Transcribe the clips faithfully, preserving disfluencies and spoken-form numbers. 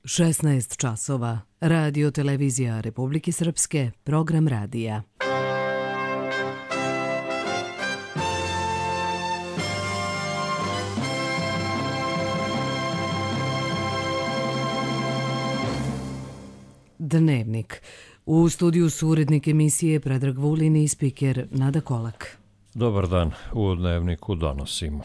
šesnaest časova. Radio Televizija Republike Srpske, program radija. Dnevnik. U studiju su urednik emisije Predrag Vulin i spiker Nada Kolak. Dobar dan, u Dnevniku donosimo.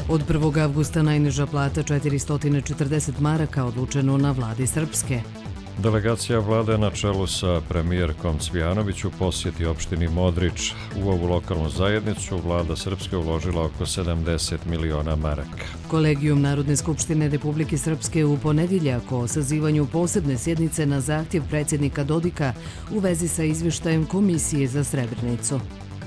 Od prvog avgusta najniža plata četiristo četrdeset maraka odlučeno na vladi Srpske. Delegacija vlade na čelu sa premijerkom Cvijanović u posjeti opštini Modrič. U ovu lokalnu zajednicu vlada Srpske uložila oko sedamdeset miliona maraka. Kolegijum Narodne skupštine Republike Srpske u ponedjeljak o sazivanju posebne sjednice na zahtjev predsjednika Dodika u vezi sa izvještajem Komisije za Srebrenicu.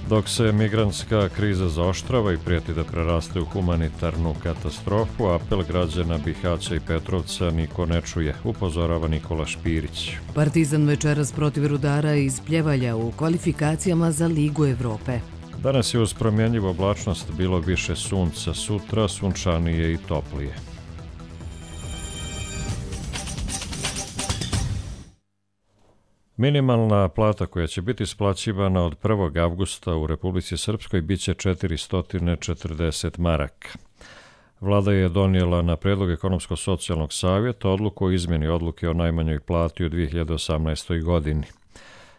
Dok se migrantska kriza zaoštrava i prijeti da preraste u humanitarnu katastrofu, apel građana Bihaća i Petrovca niko ne čuje, upozorava Nikola Špirić. Partizan večeras protiv Rudara iz Pljevalja u kvalifikacijama za Ligu Evrope. Danas je uz promjenjivu oblačnost bilo više sunca, sutra sunčanije i toplije. Minimalna plata koja će biti isplaćivana od prvog avgusta u Republici Srpskoj biće četiristo četrdeset maraka. Vlada je donijela na predlog Ekonomsko-socijalnog savjeta odluku o izmjeni odluke o najmanjoj plati u dvije hiljade osamnaestoj. godini.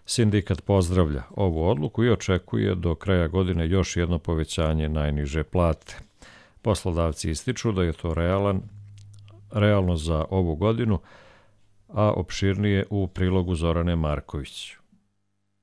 Sindikat pozdravlja ovu odluku i očekuje do kraja godine još jedno povećanje najniže plate. Poslodavci ističu da je to realan, realno za ovu godinu, a opširnije u prilogu Zorane Marković.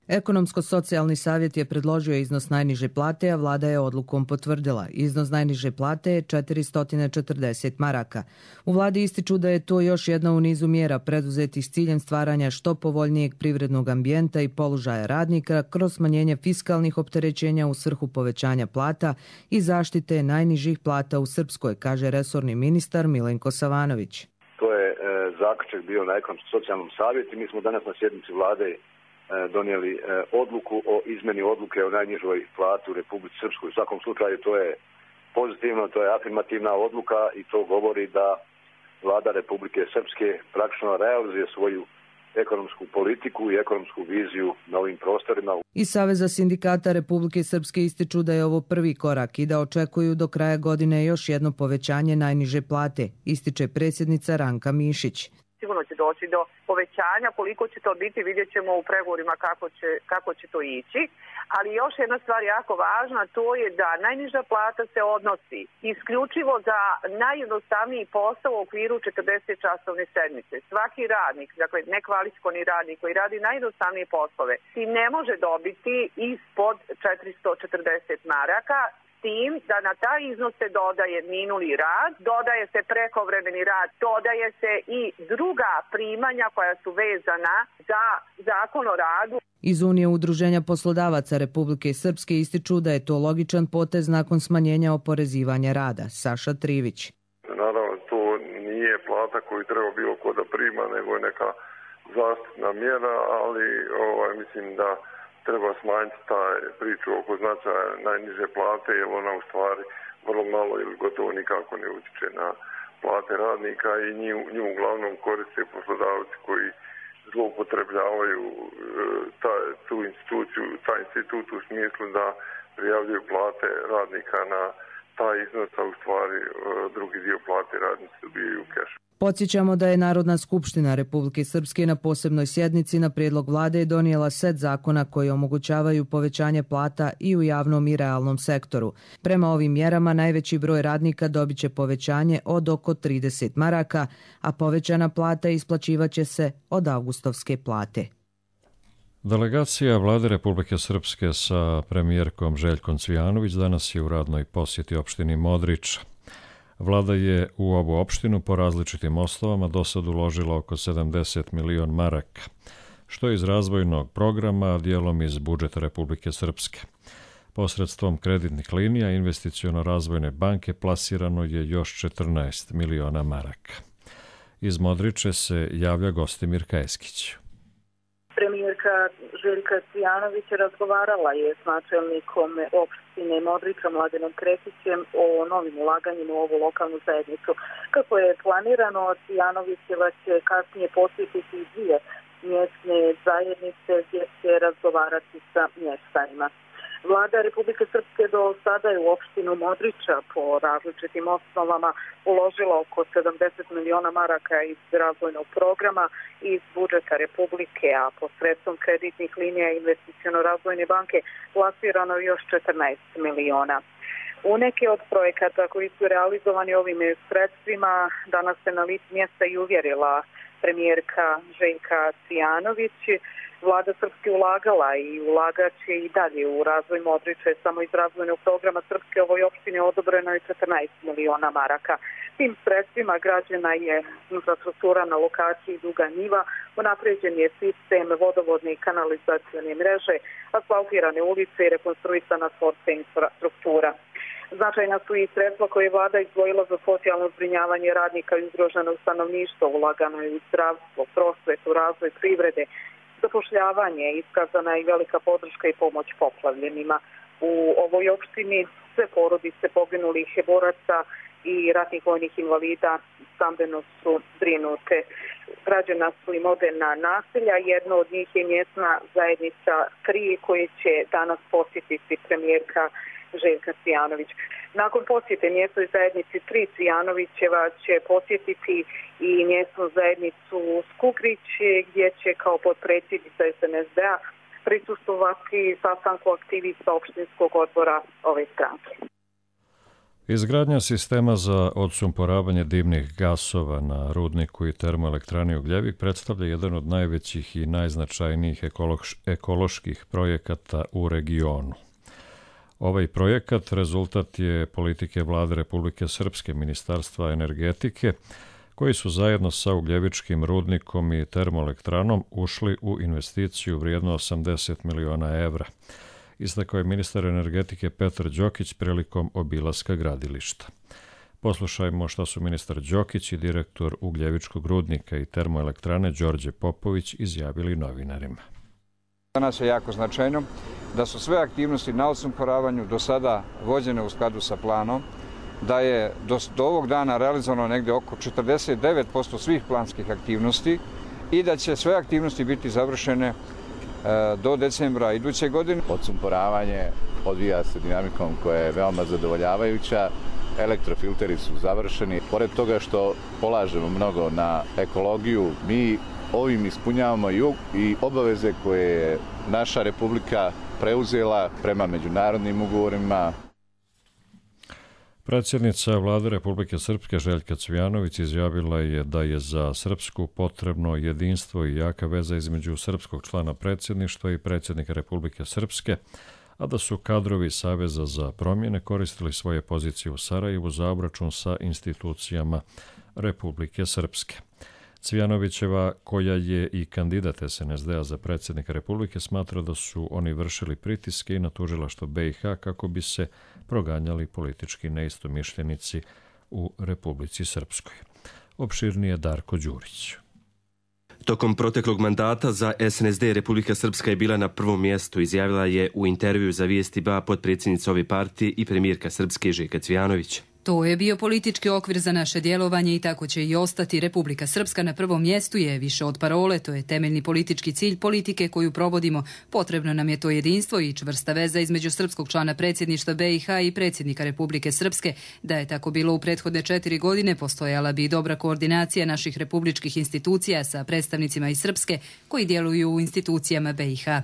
Ekonomsko-socijalni savjet je predložio iznos najniže plate, a vlada je odlukom potvrdila. Iznos najniže plate je četiristo četrdeset maraka. U vladi ističu da je to još jedna u nizu mjera preduzetih s ciljem stvaranja što povoljnijeg privrednog ambijenta i položaja radnika kroz smanjenje fiskalnih opterećenja u svrhu povećanja plata i zaštite najnižih plata u Srpskoj, kaže resorni ministar Milenko Savanović. To je e, zaključak bio na Ekonomsko-socijalnom savjetu. Mi smo danas na sjednici vlade e, donijeli e, odluku o izmjeni odluke o najnižoj plati u Republici Srpskoj. U svakom slučaju to je pozitivno, to je afirmativna odluka i to govori da vlada Republike Srpske praktično realizuje svoju ekonomsku politiku i ekonomsku viziju na ovim prostorima. Iz Saveza sindikata Republike Srpske ističu da je ovo prvi korak i da očekuju do kraja godine još jedno povećanje najniže plate, ističe predsjednica Ranka Mišić. Sigurno će doći do povećanja, koliko će to biti vidjet ćemo u pregovorima kako će, kako će to ići. Ali još jedna stvar jako važna, to je da najniža plata se odnosi isključivo za najjednostavniji posao u okviru četrdeset časovne sedmice. Svaki radnik, dakle nekvalifikovani radnik koji radi najjednostavnije poslove, i ne može dobiti ispod četiristo četrdeset maraka, tim da na taj iznos se dodaje minuli rad, dodaje se prekovremeni rad, dodaje se i druga primanja koja su vezana za zakon o radu. Iz Unije udruženja poslodavaca Republike Srpske ističu da je to logičan potez nakon smanjenja oporezivanja rada. Saša Trivić. Naravno, to nije plata koju treba bilo ko da prima, nego je neka zaštitna mjera, ali ovaj, mislim da treba smanjiti taj priču oko značaja najniže plate, jer ona u stvari vrlo malo ili gotovo nikako ne utječe na plate radnika i nju, nju uglavnom koriste poslodavci koji zloupotrebljavaju ta, tu instituciju, taj institut u smislu da prijavljuju plate radnika na taj iznos, a u stvari drugi dio plate radnici dobijaju u kešu. Podsjećamo da je Narodna skupština Republike Srpske na posebnoj sjednici na prijedlog vlade donijela set zakona koji omogućavaju povećanje plata i u javnom i realnom sektoru. Prema ovim mjerama najveći broj radnika dobit će povećanje od oko trideset maraka, a povećana plata isplaćivaće se od avgustovske plate. Delegacija vlade Republike Srpske sa premijerkom Željkom Cvijanović danas je u radnoj posjeti opštini Modrič. Vlada je u ovu opštinu po različitim osnovama do sad uložila oko sedamdeset miliona maraka, što je iz razvojnog programa, a dijelom iz budžeta Republike Srpske. Posredstvom kreditnih linija Investiciono-razvojne banke plasirano je još četrnaest miliona maraka. Iz Modriče se javlja Gostimir Kajeskić. Premijerka predsjednika Željka Cvijanovića razgovarala je s načelnikom opštine Modrića Mladenom Kretićem o novim ulaganjima u ovu lokalnu zajednicu. Kako je planirano, Cvijanovićeva će kasnije posjetiti dvije mjesne zajednice gdje će razgovarati sa mještanima. Vlada Republike Srpske do sada je u opštinu Modrića po različitim osnovama uložila oko sedamdeset miliona maraka iz razvojnog programa i iz budžeta Republike, a posredstvom kreditnih linija Investiciono-razvojne banke plasirano još četrnaest miliona. U neke od projekata koji su realizovani ovim sredstvima danas se na licu mjesta i uvjerila premijerka Željka Cvijanović. Vlada Srpske ulagala i ulagaće i dalje u razvoj Modrića. Samo iz razvojnog programa Srpske ovoj opštini odobreno je četrnaest miliona maraka. Tim sredstvima građena je infrastruktura na lokaciji Duga Njiva, unapređen je sistem vodovodne i kanalizacione mreže, asfaltirane ulice i rekonstruisana sportska infrastruktura. Značajna su i sredstva koje je vlada izdvojila za socijalno zbrinjavanje radnika i ugroženog stanovništva, ulagano je u zdravstvo, prosvetu, razvoj privrede, zapošljavanje, iskazana i velika podrška i pomoć poplavljenima. U ovoj opštini sve porodice poginulih boraca i ratnih vojnih invalida stambeno su zbrinute. Građena su i moderna naselja, jedno od njih je mjesna zajednica tri koje će danas posjetiti premijerka Željka Cvijanović. Nakon posjete mjesnoj zajednici tri Cvijanovićeva će posjetiti i mjesnu zajednicu Skugrić gdje će kao potpredsjednica es en es de-a prisustvovati sastanku aktivista opštinskog odbora ove stranke. Izgradnja sistema za odsumporavanje dimnih gasova na rudniku i termoelektrani Ugljevik predstavlja jedan od najvećih i najznačajnijih ekoloških projekata u regionu. Ovaj projekat rezultat je politike Vlade Republike Srpske, Ministarstva energetike, koji su zajedno sa Ugljevičkim rudnikom i termoelektranom ušli u investiciju vrijedno osamdeset miliona evra. Istakao je ministar energetike Petar Đokić prilikom obilaska gradilišta. Poslušajmo šta su ministar Đokić i direktor Ugljevičkog rudnika i termoelektrane Đorđe Popović izjavili novinarima. Za nas je jako značajno da su sve aktivnosti na odsumporavanju do sada vođene u skladu sa planom, da je do, do ovog dana realizovano negde oko četrdeset devet posto svih planskih aktivnosti i da će sve aktivnosti biti završene e, do decembra iduće godine. Odsumporavanje odvija se dinamikom koja je veoma zadovoljavajuća. Elektrofilteri su završeni. Pored toga što polažemo mnogo na ekologiju, mi ovim ispunjavamo i obaveze koje je naša Republika preuzela prema međunarodnim ugovorima. Predsjednica Vlade Republike Srpske Željka Cvijanović izjavila je da je za Srpsku potrebno jedinstvo i jaka veza između srpskog člana predsjedništva i predsjednika Republike Srpske, a da su kadrovi Saveza za promjene koristili svoje pozicije u Sarajevu za obračun sa institucijama Republike Srpske. Cvijanovićeva, koja je i kandidat es en es de-a za predsjednika Republike, smatra da su oni vršili pritiske i na tužilaštvo be i ha kako bi se proganjali politički neistomišljenici u Republici Srpskoj. Opširnije Darko Đurić. Tokom proteklog mandata za es en es de Republika Srpska je bila na prvom mjestu, izjavila je u intervju za Vijesti ba potpredsjednica ove partije i premijerka Srpske Željka Cvijanović. To je bio politički okvir za naše djelovanje i tako će i ostati. Republika Srpska na prvom mjestu je više od parole, to je temeljni politički cilj politike koju provodimo. Potrebno nam je to jedinstvo i čvrsta veza između srpskog člana predsjedništva be i ha i predsjednika Republike Srpske. Da je tako bilo u prethodne četiri godine, postojala bi dobra koordinacija naših republičkih institucija sa predstavnicima iz Srpske koji djeluju u institucijama be i ha.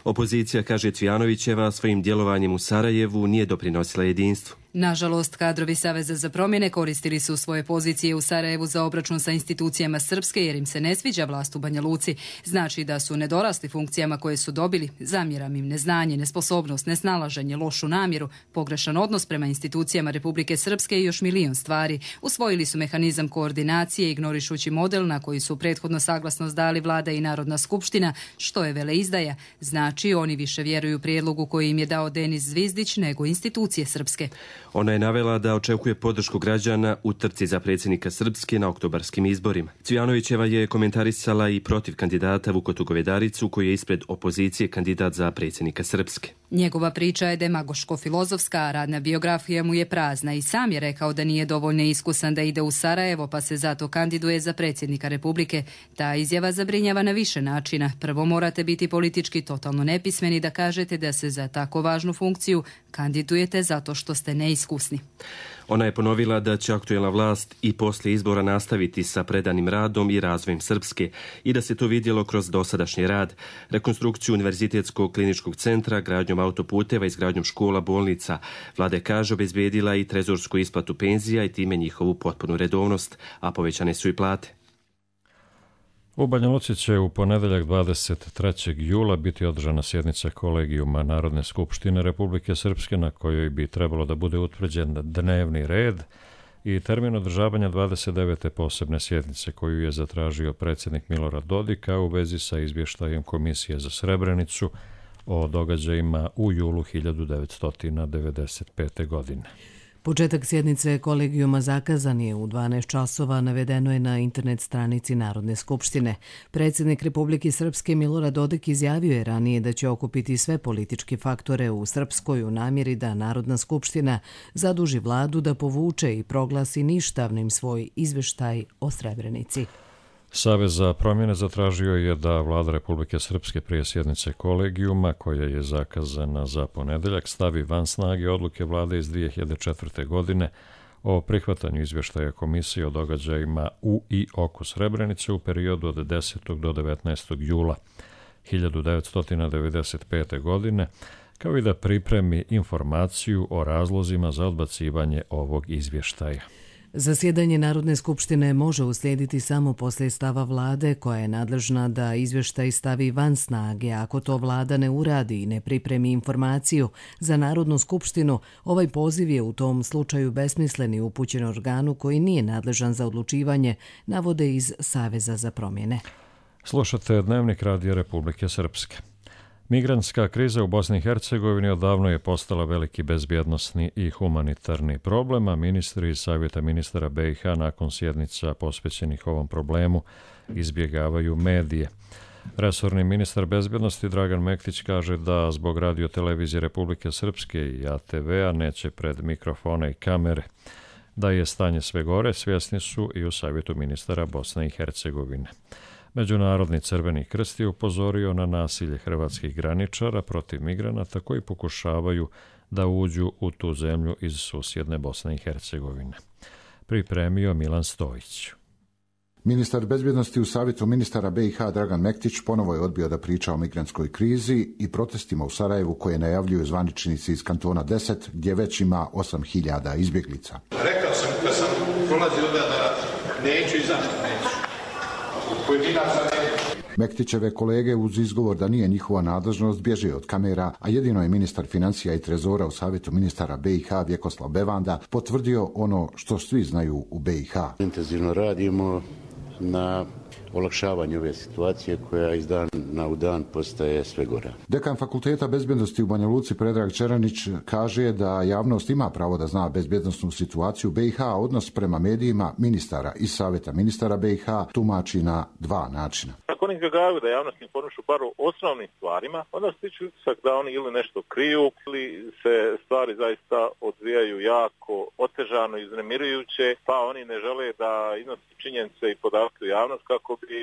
Opozicija, kaže Cvijanovićeva, svojim djelovanjem u Sarajevu nije doprinosila jedinstvu. Nažalost, kadrovi Saveza za promjene koristili su svoje pozicije u Sarajevu za obračun sa institucijama Srpske jer im se ne sviđa vlast u Banja Luci. Znači da su nedorasli funkcijama koje su dobili, zamjeram im neznanje, nesposobnost, nesnalaženje, lošu namjeru, pogrešan odnos prema institucijama Republike Srpske i još milion stvari. Usvojili su mehanizam koordinacije ignorišući model na koji su prethodno saglasnost dali Vlada i Narodna skupština, što je veleizdaja. Znači oni više vjeruju prijedlogu koji im je dao Denis Zvizdić nego institucije Srpske. Ona je navela da očekuje podršku građana u trci za predsjednika Srpske na oktobarskim izborima. Cvijanovićeva je komentarisala i protiv kandidata Vukotu Govedaricu, koji je ispred opozicije kandidat za predsjednika Srpske. Njegova priča je demagoško-filozofska, a radna biografija mu je prazna i sam je rekao da nije dovoljno iskusan da ide u Sarajevo, pa se zato kandiduje za predsjednika Republike. Ta izjava zabrinjava na više načina. Prvo, morate biti politički totalno nepismeni da kažete da se za tako važnu funkciju kandidujete zato što ste neiskusni. Ona je ponovila da će aktuelna vlast i poslije izbora nastaviti sa predanim radom i razvojem Srpske i da se to vidjelo kroz dosadašnji rad, rekonstrukciju Univerzitetskog kliničkog centra, gradnjom autoputeva, izgradnjom škola, bolnica. Vlada je, kaže, obezbedila i trezorsku isplatu penzija i time njihovu potpunu redovnost, a povećane su i plate. U Banja Luci će u ponedeljak dvadeset trećeg jula biti održana sjednica Kolegijuma Narodne skupštine Republike Srpske, na kojoj bi trebalo da bude utvrđen dnevni red i termin održavanja dvadeset devete posebne sjednice koju je zatražio predsjednik Milorad Dodik u vezi sa izvještajem Komisije za Srebrenicu o događajima u julu hiljadu devetsto devedeset pete. godine. Početak sjednice Kolegijuma zakazan je u dvanaest časova, navedeno je na internet stranici Narodne skupštine. Predsjednik Republike Srpske Milorad Dodik izjavio je ranije da će okupiti sve političke faktore u Srpskoj u namjeri da Narodna skupština zaduži vladu da povuče i proglasi ništavnim svoj izveštaj o Srebrenici. Savez za promjene zatražio je da vlada Republike Srpske prije sjednice Kolegijuma, koja je zakazana za ponedeljak, stavi van snage odluke vlade iz dvije hiljade četvrte. godine o prihvatanju izvještaja Komisije o događajima u i oko Srebrenice u periodu od desetog do devetnaestog jula hiljadu devetsto devedeset pete. godine, kao i da pripremi informaciju o razlozima za odbacivanje ovog izvještaja. Zasjedanje Narodne skupštine može uslijediti samo poslije stava vlade, koja je nadležna da izvještaj stavi van snage. Ako to vlada ne uradi i ne pripremi informaciju za Narodnu skupštinu, ovaj poziv je u tom slučaju besmislen i upućen organu koji nije nadležan za odlučivanje, navode iz Saveza za promjene. Slušate Dnevnik Radija Republike Srpske. Migrantska kriza u Bosni i Hercegovini odavno je postala veliki bezbjednosni i humanitarni problem, a ministri iz Savjeta ministara B i H nakon sjednica posvećenih ovom problemu izbjegavaju medije. Resorni ministar bezbjednosti Dragan Mektić kaže da zbog radiotelevizije Republike Srpske i A T V-a neće pred mikrofone i kamere. Da je stanje sve gore, svjesni su i u Savjetu ministara Bosne i Hercegovine. Međunarodni Crveni krst je upozorio na nasilje hrvatskih graničara protiv migranata koji pokušavaju da uđu u tu zemlju iz susjedne Bosne i Hercegovine. Pripremio Milan Stojić. Ministar bezbjednosti u Savjetu ministara B i H Dragan Mektić ponovo je odbio da priča o migrantskoj krizi i protestima u Sarajevu koje najavljuju zvaničnici iz kantona deset, gdje već ima osam hiljada izbjeglica. Rekao sam kad sam prolazio da neću i zašto neću. Mektićeve kolege uz izgovor da nije njihova nadležnost bježe od kamera, a jedino je ministar financija i trezora u Savjetu ministara B i H Vjekoslav Bevanda potvrdio ono što svi znaju u B i H. Intenzivno radimo na olakšavanju ove situacije koja iz dana u dan postaje sve gora. Dekan Fakulteta bezbjednosti u Banja Luci Predrag Čeranić kaže da javnost ima pravo da zna bezbjednosnu situaciju B i H, a odnos prema medijima ministara i Savjeta ministara B i H tumači na dva načina. Ako oni izbjegavaju da javnost informišu bar o osnovnim stvarima, onda stiču utisak da oni ili nešto kriju ili se stvari zaista odvijaju jako otežano, iznemirujuće, pa oni ne žele da iznose činjenice i podatke u javnost kako bi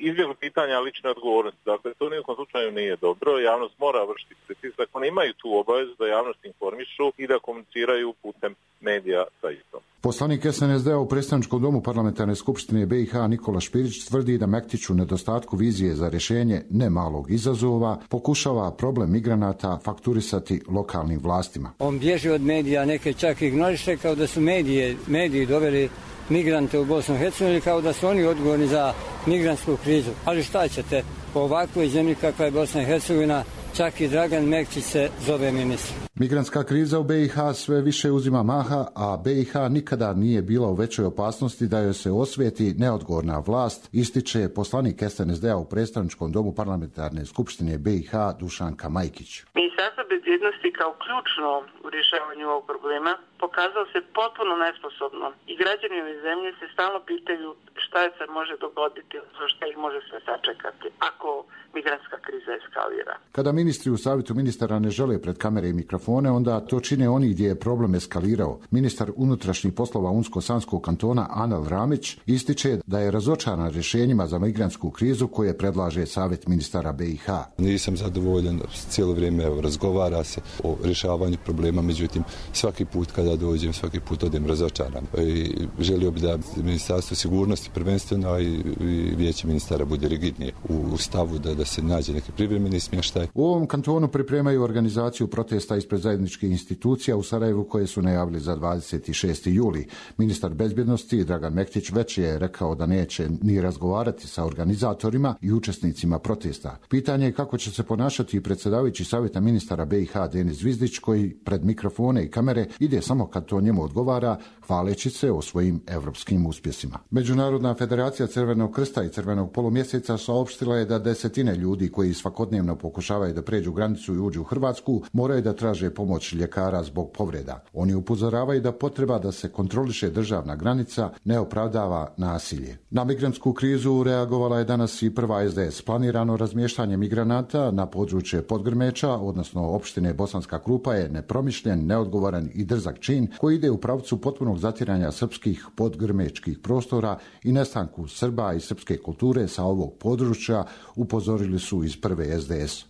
izbjegli pitanja lične odgovornosti. Dakle, to nijekom slučaju nije dobro. Javnost mora vršiti pritisak. Oni imaju tu obavezu da javnost informišu i da komuniciraju putem medija sa istom. Poslanik S N S D-a u predstavničkom domu parlamentarne skupštine B i H Nikola Špirić tvrdi da Mektić u nedostatku vizije za rješenje ne malog izazova pokušava problem migranata fakturisati lokalnim vlastima. On bježi od medija, neke čak ignoriše kao da su medije, mediji doveli migrante u Bosnu i Hercegovini, kao da su oni odgovorni za migrantsku krizu. Ali šta ćete, po ovakvoj zemlji kakva je Bosna i Hercegovina, čak i Dragan Mektić se zove ministar. Migrantska kriza u B i H sve više uzima maha, a B i H nikada nije bila u većoj opasnosti da joj se osvijeti neodgovorna vlast, ističe poslanik S N S D-a u predstavničkom domu parlamentarne skupštine B i H Dušanka Majkić. Ministarstvo bezbjednosti kao ključno u rješavanju ovog problema pokazalo se potpuno nesposobno i građani ove zemlje se stalno pitaju šta se može dogoditi, za šta ih može sve sačekati ako migrantska kriza eskalira. Kada ministri u savjetu ministara ne žele pred kamere i mikrofone, onda to čine oni gdje je problem eskalirao. Ministar unutrašnjih poslova Unsko-Sanskog kantona Anel Ramić ističe da je razočaran rješenjima za migrantsku krizu koje predlaže savjet ministara B i H. Nisam zadovoljan, cijelo vrijeme evo, razgovara se o rješavanju problema, međutim svaki put kada dođem, svaki put odem razočaran. I želio bi da ministarstvo sigurnosti prvenstveno i, i vijeće ministara bude rigidnije u stavu da, da se nađe neki privremeni smještaj. U ovom kantonu pripremaju organizaciju protesta ispred zajedničkih institucija u Sarajevu koje su najavili za dvadeset šesti juli. Ministar bezbjednosti Dragan Mektić već je rekao da neće ni razgovarati sa organizatorima i učesnicima protesta. Pitanje je kako će se ponašati predsjedavajući savjeta ministara B i H Denis Zvizdić koji pred mikrofone i kamere ide samo kad to njemu odgovara, hvaleći se o svojim evropskim uspjesima. Međunarodna federacija Crvenog krsta i Crvenog polumjeseca saopštila je da desetine ljudi koji svakodnevno pokušavaju da pređu granicu i uđu u Hrvatsku moraju da traže pomoć ljekara zbog povreda. Oni upozoravaju da potreba da se kontroliše državna granica ne opravdava nasilje. Na migrantsku krizu reagovala je danas i prva S D S. Planirano razmještanje migranata na područje Podgrmeča, odnosno opštine Bosanska Krupa, je nepromišljen, neodgovoran i drzak čin koji ide u pravcu potpunog zatiranja srpskih podgrmečkih prostora i nestanku Srba i srpske kulture sa ovog područja, upozorili su iz prve S D S.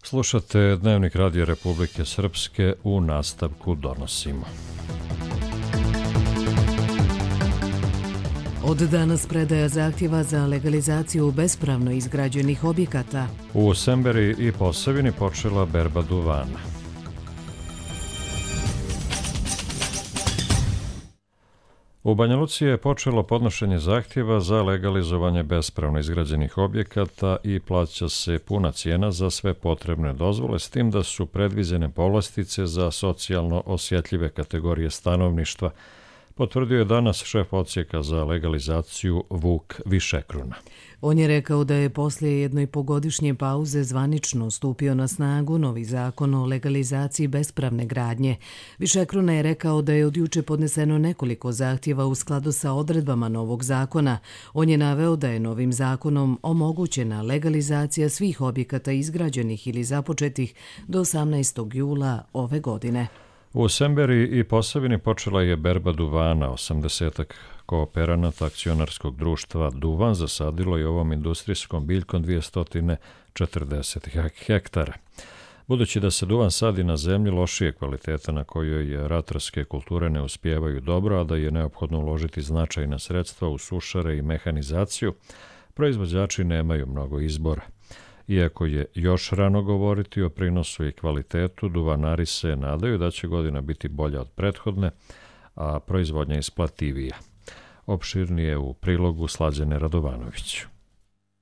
Slušate Dnevnik Radio Republike Srpske, u nastavku donosimo. Od danas predaja zahtjeva za legalizaciju bespravno izgrađenih objekata. U Semberi i Posavini počela berba duvana. U Banja Luci je počelo podnošenje zahtjeva za legalizovanje bespravno izgrađenih objekata i plaća se puna cijena za sve potrebne dozvole, s tim da su predviđene povlastice za socijalno osjetljive kategorije stanovništva, potvrdio je danas šef odsjeka za legalizaciju Vuk Višekruna. On je rekao da je poslije jednoipogodišnje pauze zvanično stupio na snagu novi zakon o legalizaciji bespravne gradnje. Višekruna je rekao da je od juče podneseno nekoliko zahtjeva u skladu sa odredbama novog zakona. On je naveo da je novim zakonom omogućena legalizacija svih objekata izgrađenih ili započetih do osamnaestog jula ove godine. U Semberi i Posavini počela je berba duvana. osamdesetak kooperanata akcionarskog društva Duvan zasadilo je ovom industrijskom biljkom dvjesto četrdeset hektara. Budući da se duvan sadi na zemlji lošije kvaliteta na kojoj ratarske kulture ne uspijevaju dobro, a da je neophodno uložiti značajna sredstva u sušare i mehanizaciju, proizvođači nemaju mnogo izbora. Iako je još rano govoriti o prinosu i kvalitetu, duvanari se nadaju da će godina biti bolja od prethodne, a proizvodnja isplativija. Opširnije u prilogu Slađane Radovanović.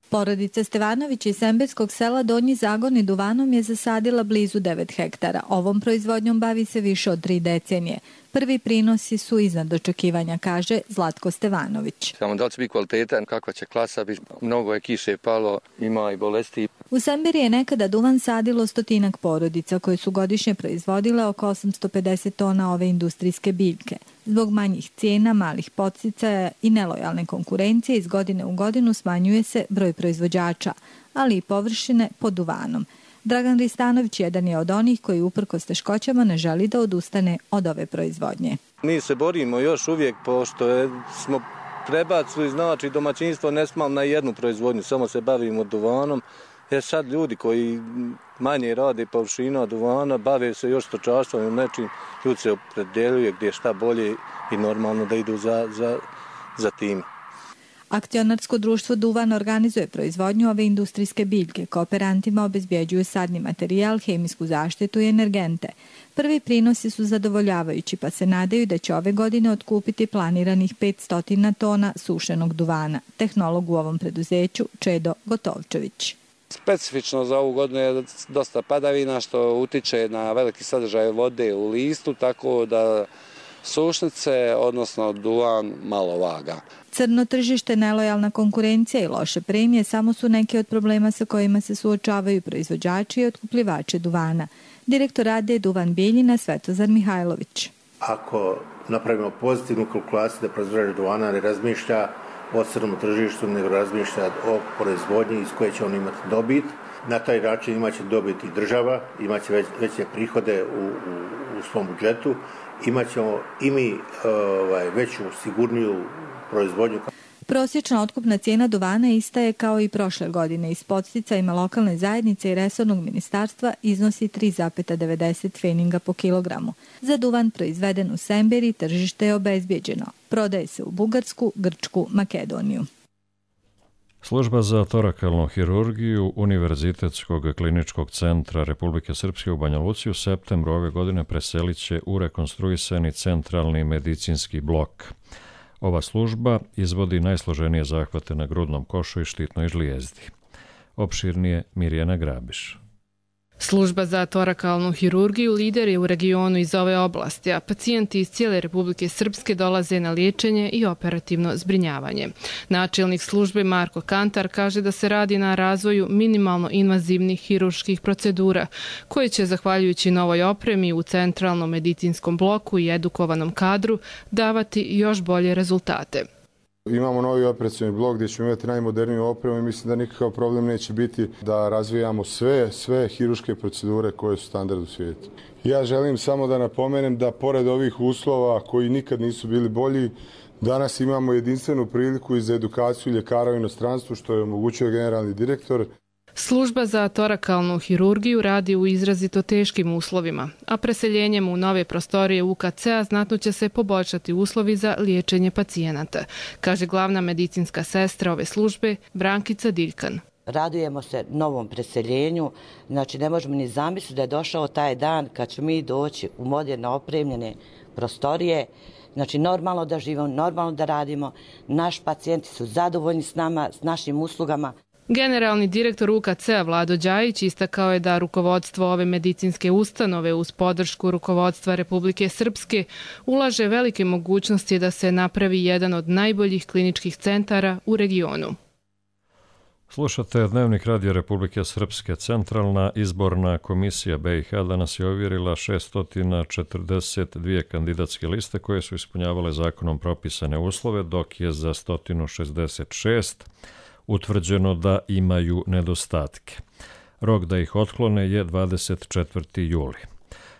Porodica Stevanović iz Semberskog sela Donji Zagorni duvanom je zasadila blizu devet hektara. Ovom proizvodnjom bavi se više od tri decenije. Prvi prinosi su iznad očekivanja, kaže Zlatko Stevanović. Samo da li će biti kvaliteta, kakva će klasa biti, mnogo je kiše palo, ima i bolesti. U Semberi je nekada duvan sadilo stotinak porodica koje su godišnje proizvodile oko osamsto pedeset tona ove industrijske biljke. Zbog manjih cijena, malih podsticaja i nelojalne konkurencije iz godine u godinu smanjuje se broj proizvođača, ali i površine pod duvanom. Dragan Ristanović jedan je od onih koji uprkos teškoćama ne želi da odustane od ove proizvodnje. Mi se borimo još uvijek pošto je, smo prebacili, znači domaćinstvo ne smalo na jednu proizvodnju, samo se bavimo duvanom. Jer sad ljudi koji manje rade površina duvana, bave se još stočarstvom ili nečim, ljudi se opredjeljuje gdje je šta bolje i normalno da idu za, za, za tim. Akcionarsko društvo Duvan organizuje proizvodnju ove industrijske biljke. Kooperantima obezbjeđuju sadni materijal, hemijsku zaštitu i energente. Prvi prinosi su zadovoljavajući, pa se nadaju da će ove godine otkupiti planiranih petsto tona sušenog duvana. Tehnolog u ovom preduzeću Čedo Gotovčević. Specifično za ovu godinu je dosta padavina što utiče na veliki sadržaj vode u listu, tako da sušnice, odnosno duvan, malo vaga. Crno tržište, nelojalna konkurencija i loše premije samo su neki od problema sa kojima se suočavaju proizvođači i otkupljivači duvana. Direktor A D Duvan Bijeljina Svetozar Mihajlović. Ako napravimo pozitivnu kalkulaciju da proizvođač duvana ne razmišlja o crnom tržištu, nego razmišlja o proizvodnji iz koje će on imati dobit, na taj način imaće dobit i država, imaće već, veće prihode u, u, u svom budžetu, imaćemo i mi ovaj, veću sigurniju proizvodnju. Prosječna otkupna cijena duvana ista je kao i prošle godine i s podsticajima lokalne zajednice i resornog ministarstva iznosi tri zarez devedeset pfeninga po kilogramu. Za duvan proizveden u Semberi tržište je obezbijeđeno. Prodaje se u Bugarsku, Grčku, Makedoniju. Služba za torakalnu hirurgiju Univerzitetskog kliničkog centra Republike Srpske u Banja Luci u septembru ove godine preselit će u rekonstruisani centralni medicinski blok. Ova služba izvodi najsloženije zahvate na grudnom košu i štitnoj žlijezdi. Opširnije Mirjana Grabiš. Služba za torakalnu hirurgiju lider je u regionu iz ove oblasti, a pacijenti iz cijele Republike Srpske dolaze na liječenje i operativno zbrinjavanje. Načelnik službe Marko Kantar kaže da se radi na razvoju minimalno invazivnih hirurških procedura, koje će, zahvaljujući novoj opremi u centralnom medicinskom bloku i edukovanom kadru, davati još bolje rezultate. Imamo novi operacioni blok gdje ćemo imati najmoderniju opremu i mislim da nikakav problem neće biti da razvijamo sve, sve hirurške procedure koje su standard u svijetu. Ja želim samo da napomenem da pored ovih uslova koji nikad nisu bili bolji, danas imamo jedinstvenu priliku i za edukaciju ljekara u inostranstvu što je omogućio generalni direktor. Služba za torakalnu hirurgiju radi u izrazito teškim uslovima, a preseljenjem u nove prostorije U K C-a znatno će se poboljšati uslovi za liječenje pacijenata, kaže glavna medicinska sestra ove službe Brankica Diljkan. Radujemo se novom preseljenju, znači ne možemo ni zamisliti da je došao taj dan kad ćemo mi doći u moderno opremljene prostorije, znači normalno da živimo, normalno da radimo, naši pacijenti su zadovoljni s nama, s našim uslugama. Generalni direktor U K C-a Vlado Đajić istakao je da rukovodstvo ove medicinske ustanove uz podršku rukovodstva Republike Srpske ulaže velike mogućnosti da se napravi jedan od najboljih kliničkih centara u regionu. Slušate Dnevnik radija Republike Srpske. Centralna izborna komisija B i H danas je ovjerila šesto četrdeset dvije kandidatske liste koje su ispunjavale zakonom propisane uslove, dok je za sto šezdeset šest utvrđeno da imaju nedostatke. Rok da ih otklone je dvadeset četvrti juli.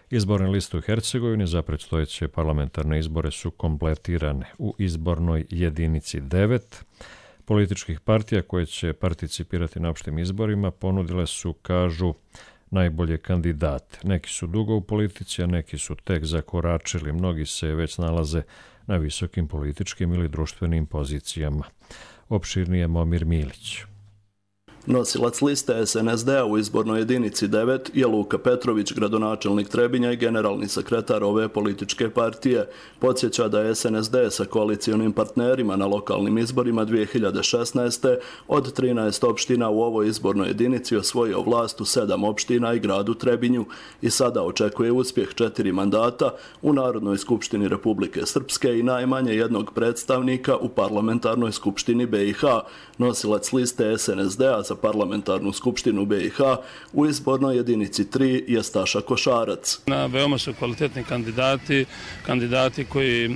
Izborne liste u Hercegovini za predstojeće parlamentarne izbore su kompletirane u izbornoj jedinici devet. Političkih partija koje će participirati na opštim izborima ponudile su, kažu, najbolje kandidate. Neki su dugo u politici, a neki su tek zakoračili. Mnogi se već nalaze na visokim političkim ili društvenim pozicijama. Opširnije Momir Milić. Nosilac liste S N S D-a u izbornoj jedinici devet je Luka Petrović, gradonačelnik Trebinja i generalni sekretar ove političke partije. Podsjeća da je S N S D sa koalicijonim partnerima na lokalnim izborima dvije hiljade šesnaeste. od trinaest opština u ovoj izbornoj jedinici osvojio vlast u sedam opština i gradu Trebinju i sada očekuje uspjeh četiri mandata u Narodnoj skupštini Republike Srpske i najmanje jednog predstavnika u parlamentarnoj skupštini B i H. Nosilac liste S N S D-a za parlamentarnu skupštinu B i H u izbornoj jedinici tri je Staša Košarac. Na veoma su kvalitetni kandidati, kandidati koji e,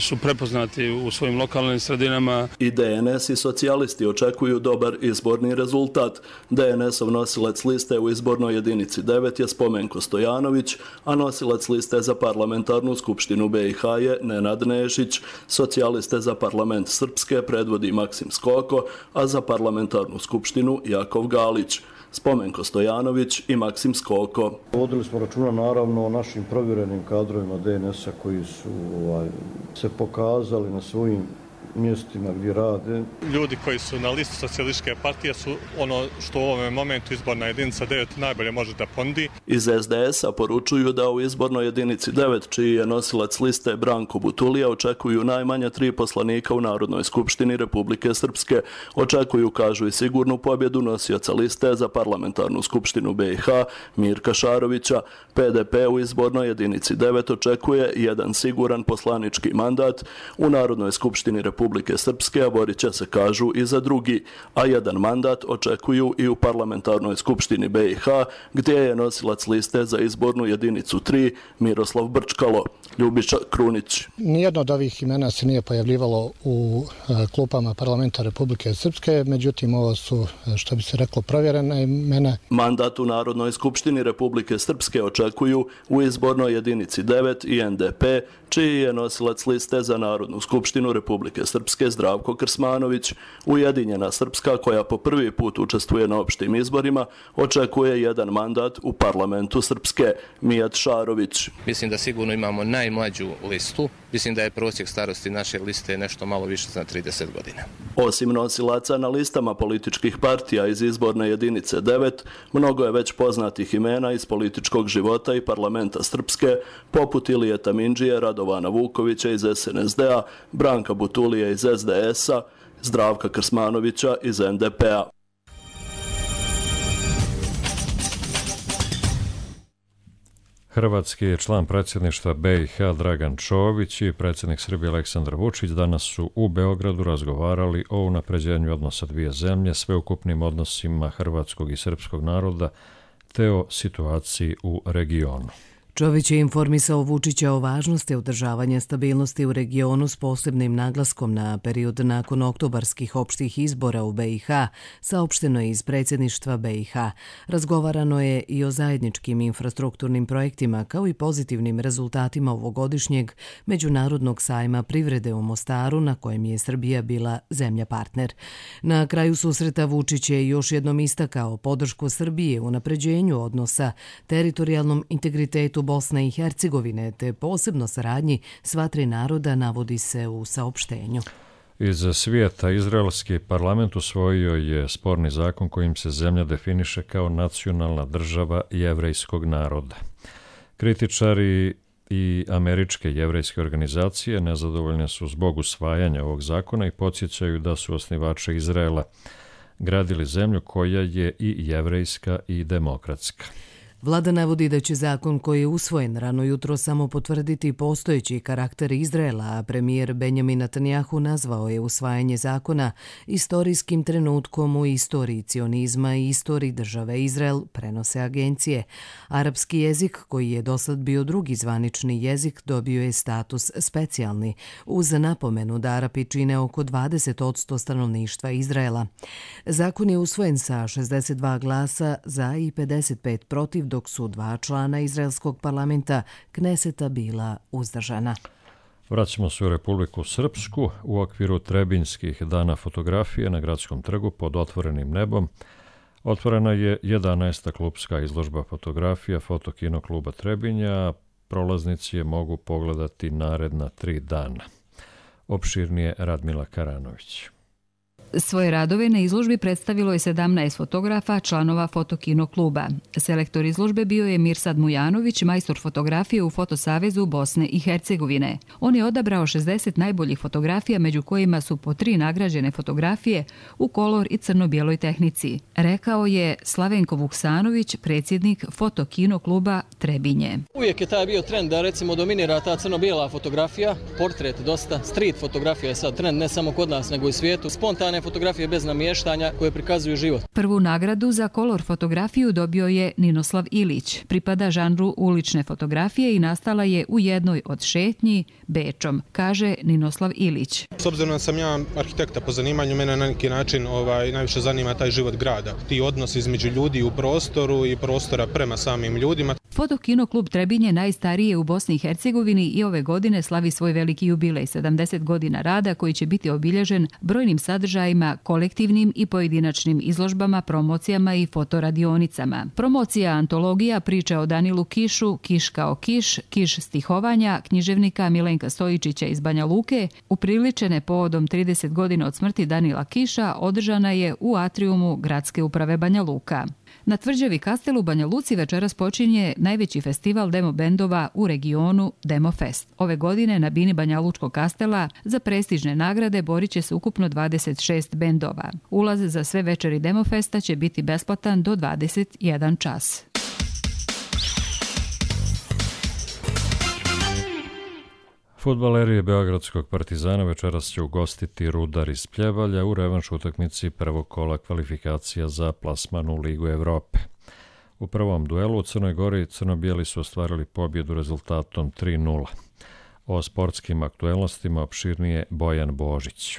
su prepoznati u svojim lokalnim sredinama. I D N S i socijalisti očekuju dobar izborni rezultat. D N S-ov nosilac liste u izbornoj jedinici devet je Spomenko Stojanović, a nosilac liste za parlamentarnu skupštinu B i H je Nenad Nešić. Socijaliste za parlament Srpske predvodi Maksim Skoko, a za parlamentarnu skupštinu Jakov Galić. Spomenko Stojanović i Maksim Skoko. Vodili smo računa naravno o našim provjerenim kadrovima D N S-a koji su ovaj, se pokazali na svojim mjestima gdje rade. Ljudi koji su na listi socijalističke partije su ono što u ovom momentu izborna jedinica devet najbolje može da ponudi. Iz es de es a poručuju da u izbornoj jedinici devet, čiji je nosilac liste Branko Butulija, očekuju najmanje tri poslanika u Narodnoj skupštini Republike Srpske. Očekuju, kažu, i sigurnu pobjedu nosioca liste za parlamentarnu skupštinu be i ha Mirka Šarovića. pe de pe u izbornoj jedinici devet očekuje jedan siguran poslanički mandat u Narodnoj skupštini Republike Srpske, a borit će se, kažu, i za drugi, a jedan mandat očekuju i u parlamentarnoj skupštini be i ha, gdje je nosilac liste za izbornu jedinicu tri Miroslav Brčkalo. Ljubiša Krunić. Nijedno od ovih imena se nije pojavljivalo u klupama parlamenta Republike Srpske, međutim ovo su, što bi se reklo, provjerene imena. Mandat u Narodnoj skupštini Republike Srpske očekuju u izbornoj jedinici devet i en de pe, čiji je nosilac liste za Narodnu skupštinu Republike Srpske Zdravko Krsmanović. Ujedinjena Srpska, koja po prvi put učestvuje na opštim izborima, očekuje jedan mandat u parlamentu Srpske. Mijat Šarović. Mislim da sigurno imamo najmlađu listu. Mislim da je prosjek starosti naše liste nešto malo više za trideset godina. Osim nosilaca na listama političkih partija iz izborne jedinice devet, mnogo je već poznatih imena iz političkog života i parlamenta Srpske, poput Ilije Tamindžije, Radovana Vukovića iz es en es de a, Branka Butulije iz es de es a, Zdravka Krsmanovića iz en de pe a. Hrvatski je član predsjedništva be i ha Dragan Čović i predsjednik Srbije Aleksandar Vučić danas su u Beogradu razgovarali o unapređenju odnosa dvije zemlje, sveukupnim odnosima hrvatskog i srpskog naroda te o situaciji u regionu. Čović je informisao Vučića o važnosti održavanja stabilnosti u regionu s posebnim naglaskom na period nakon oktobarskih opštih izbora u be i ha, saopšteno je iz predsjedništva be i ha. Razgovarano je i o zajedničkim infrastrukturnim projektima kao i pozitivnim rezultatima ovogodišnjeg Međunarodnog sajma privrede u Mostaru, na kojem je Srbija bila zemlja partner. Na kraju susreta Vučić je još jednom istakao podršku Srbije u unapređenju odnosa, teritorijalnom integritetu Bosne i Hercegovine te posebno saradnji sva tri naroda, navodi se u saopštenju. Iz svijeta izraelski parlament usvojio je sporni zakon kojim se zemlja definiše kao nacionalna država jevrejskog naroda. Kritičari i američke jevrejske organizacije nezadovoljne su zbog usvajanja ovog zakona i podsjećaju da su osnivači Izraela gradili zemlju koja je i jevrejska i demokratska. Vlada navodi da će zakon koji je usvojen rano jutro samo potvrditi postojeći karakter Izraela, a premijer Benjamin Netanjahu nazvao je usvajanje zakona istorijskim trenutkom u istoriji cionizma i istoriji države Izrael, prenose agencije. Arapski jezik, koji je dosad bio drugi zvanični jezik, dobio je status specijalni, uz napomenu da Arapi čine oko dvadeset posto stanovništva Izraela. Zakon je usvojen sa šezdeset dva glasa za i pedeset pet protiv, dok su dva člana izraelskog parlamenta Kneseta bila uzdržana. Vraćamo se u Republiku Srpsku. U okviru Trebinjskih dana fotografije na Gradskom trgu pod otvorenim nebom otvorena je jedanaesta klubska izložba fotografija Fotokino kluba Trebinja. Prolaznici je mogu pogledati naredna tri dana. Opširnije Radmila Karanović. Svoje radove na izložbi predstavilo je sedamnaest fotografa, članova Fotokino kluba. Selektor izložbe bio je Mirsad Mujanović, majstor fotografije u Fotosavezu Bosne i Hercegovine. On je odabrao šezdeset najboljih fotografija, među kojima su po tri nagrađene fotografije u kolor i crno-bijeloj tehnici. Rekao je Slavenko Vuksanović, predsjednik Fotokino kluba Trebinje. Uvijek je taj bio trend da recimo dominira ta crno-bijela fotografija, portret dosta, street fotografija je sad trend ne samo kod nas nego i u svijetu, spontane fotografije bez namještanja koje prikazuju život. Prvu nagradu za kolor fotografiju dobio je Ninoslav Ilić. Pripada žanru ulične fotografije i nastala je u jednoj od šetnji Bečom, kaže Ninoslav Ilić. S obzirom da sam ja arhitekta po zanimanju, mene na neki način ovaj, najviše zanima taj život grada. Ti odnosi između ljudi u prostoru i prostora prema samim ljudima. Fotokino klub Trebinje najstariji je u Bosni i Hercegovini i ove godine slavi svoj veliki jubilej, sedamdeset godina rada koji će biti obilježen brojnim sadržajima sadržajima, kolektivnim i pojedinačnim izložbama, promocijama i fotoradionicama. Promocija antologija priča o Danilu Kišu, Kiš kao Kiš, Kiš stihovanja, književnika Milenka Stojičića iz Banja Luke, upriličene povodom trideset godina od smrti Danila Kiša, održana je u atriumu Gradske uprave Banja Luka. Na tvrđavi Kastel u Banja Luci večeras počinje najveći festival demo bendova u regionu Demo Fest. Ove godine na bini Banja Lučkog Kastela za prestižne nagrade borit će se ukupno dvadeset šest bendova. Ulaz za sve večeri Demo Festa će biti besplatan do dvadeset jedan čas. Fudbaleri beogradskog Partizana večeras će ugostiti Rudar iz Pljevalja u revanš utakmici prvog kola kvalifikacija za plasman u Ligu Evrope. U prvom duelu u Crnoj Gori crno-bijeli su ostvarili pobjedu rezultatom tri nula. O sportskim aktuelnostima opširnije Bojan Božić.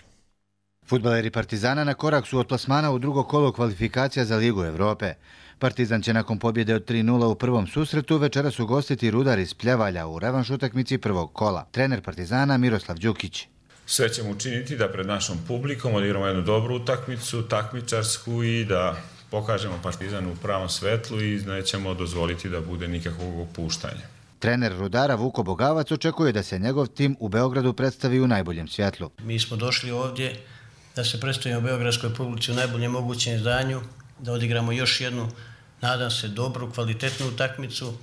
Fudbaleri Partizana na korak su od plasmana u drugo kolo kvalifikacija za Ligu Evrope. Partizan će nakon pobjede od tri nula u prvom susretu večeras ugostiti Rudar iz Pljevalja u revanš utakmici prvog kola. Trener Partizana Miroslav Đukić. Sve ćemo učiniti da pred našom publikom odigramo jednu dobru utakmicu, takmičarsku i da pokažemo Partizan u pravom svetlu i nećemo dozvoliti da bude nikakvog opuštanja. Trener Rudara Vuko Bogavac očekuje da se njegov tim u Beogradu predstavi u najboljem svjetlu. Mi smo došli ovdje da se predstavimo beogradskoj publici u najboljem mogućem izdanju, da odigramo još jednu, nadam se, dobru, kvalitetnu utakmicu,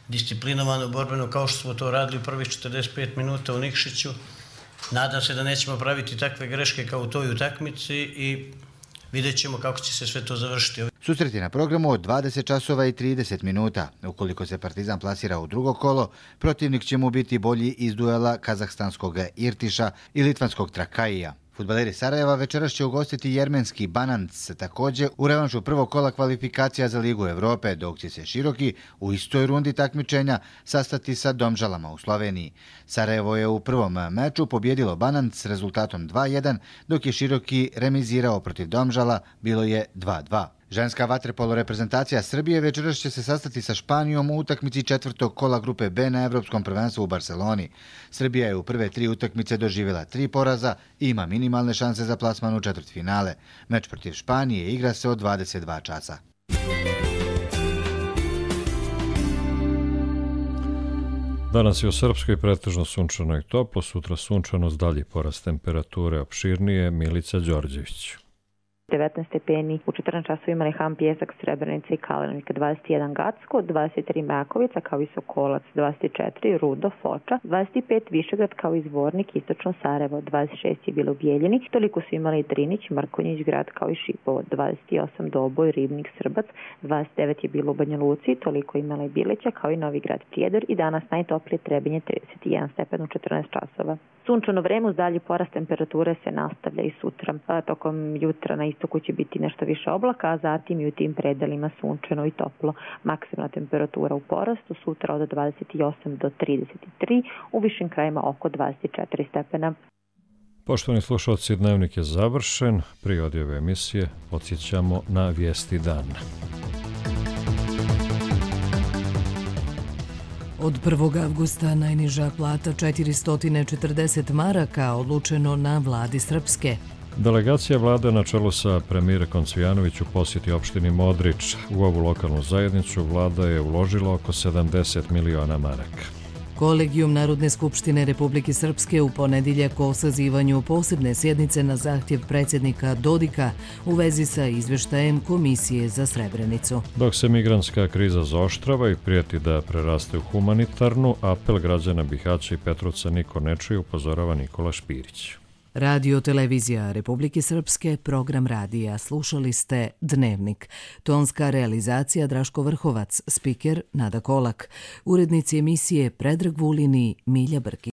disciplinovanu, borbenu, kao što smo to radili u prvih četrdeset pet minuta u Nikšiću. Nadam se da nećemo praviti takve greške kao u toj utakmici i vidjet ćemo kako će se sve to završiti. Susret je na programu od dvadeset časova i trideset minuta. Ukoliko se Partizan plasira u drugo kolo, protivnik će mu biti bolji iz duela kazahstanskog Irtiša i litvanskog Trakaija. Fudbaleri Sarajeva večeras će ugostiti jermenski Bananc, također u revanšu prvog kola kvalifikacija za Ligu Evrope, dok će se Široki u istoj rundi takmičenja sastati sa Domžalama u Sloveniji. Sarajevo je u prvom meču pobjedilo Bananc s rezultatom dva jedan, dok je Široki remizirao protiv Domžala, bilo je dva dva. Ženska vaterpolo reprezentacija Srbije večeras će se sastati sa Španijom u utakmici četvrtog kola grupe B na Evropskom prvenstvu u Barceloni. Srbija je u prve tri utakmice doživjela tri poraza i ima minimalne šanse za plasman u četvrtfinale. Meč protiv Španije igra se od dvadeset dva časa. Danas je u Srpskoj pretežno sunčano i toplo, sutra sunčano s dalji porast temperature, opširnije Milica Đorđević. devetnaest stepeni, u četrnaest časova imali Ham, Pjesak, Srebrenica i Kalenovika, dvadeset jedan Gacko, dvadeset tri Makovica kao i Sokolac, dvadeset četiri Rudo, Foča, dvadeset pet Višegrad kao i Zvornik, Istočno Sarajevo, dvadeset šest je bilo u Bijeljini, toliko su imali Drinić, Mrkonjić grad kao i Šipovo, dvadeset osam Doboj, Ribnik, Srbac, dvadeset devet je bilo u Banja Luci, toliko imala i Bileća kao i Novi grad Prijedor i danas najtoplije Trebinje trideset jedan stepen u četrnaest časova. Sunčano vreme uz dalji porast temperature se nastavlja i sutra. Tokom jutra na istoku će biti nešto više oblaka, a zatim i u tim predelima sunčano i toplo. Maksimalna temperatura u porastu sutra od dvadeset osam do trideset tri, u višim krajima oko dvadeset četiri stepena. Poštovani slušalci, dnevnik je završen. Prije odjave emisije podsjećamo na vijesti dana. Od prvog avgusta najniža plata četiristo četrdeset maraka odlučeno na vladi Srpske. Delegacija vlade na čelu sa premijerkom Cvijanović u posjeti opštini Modrić. U ovu lokalnu zajednicu vlada je uložila oko sedamdeset miliona maraka. Kolegijum Narodne skupštine Republike Srpske u ponedjeljak o sazivanju posebne sjednice na zahtjev predsjednika Dodika u vezi sa izveštajem Komisije za Srebrenicu. Dok se migrantska kriza zaoštrava i prijeti da preraste u humanitarnu, apel građana Bihaća i Petrovca niko ne čuje, upozorava Nikola Špirić. Radio Televizija Republike Srpske, program radija. Slušali ste Dnevnik. Tonska realizacija Draško Vrhovac, spiker Nada Kolak. Urednici emisije Predrag Vulin i Milja Brkić.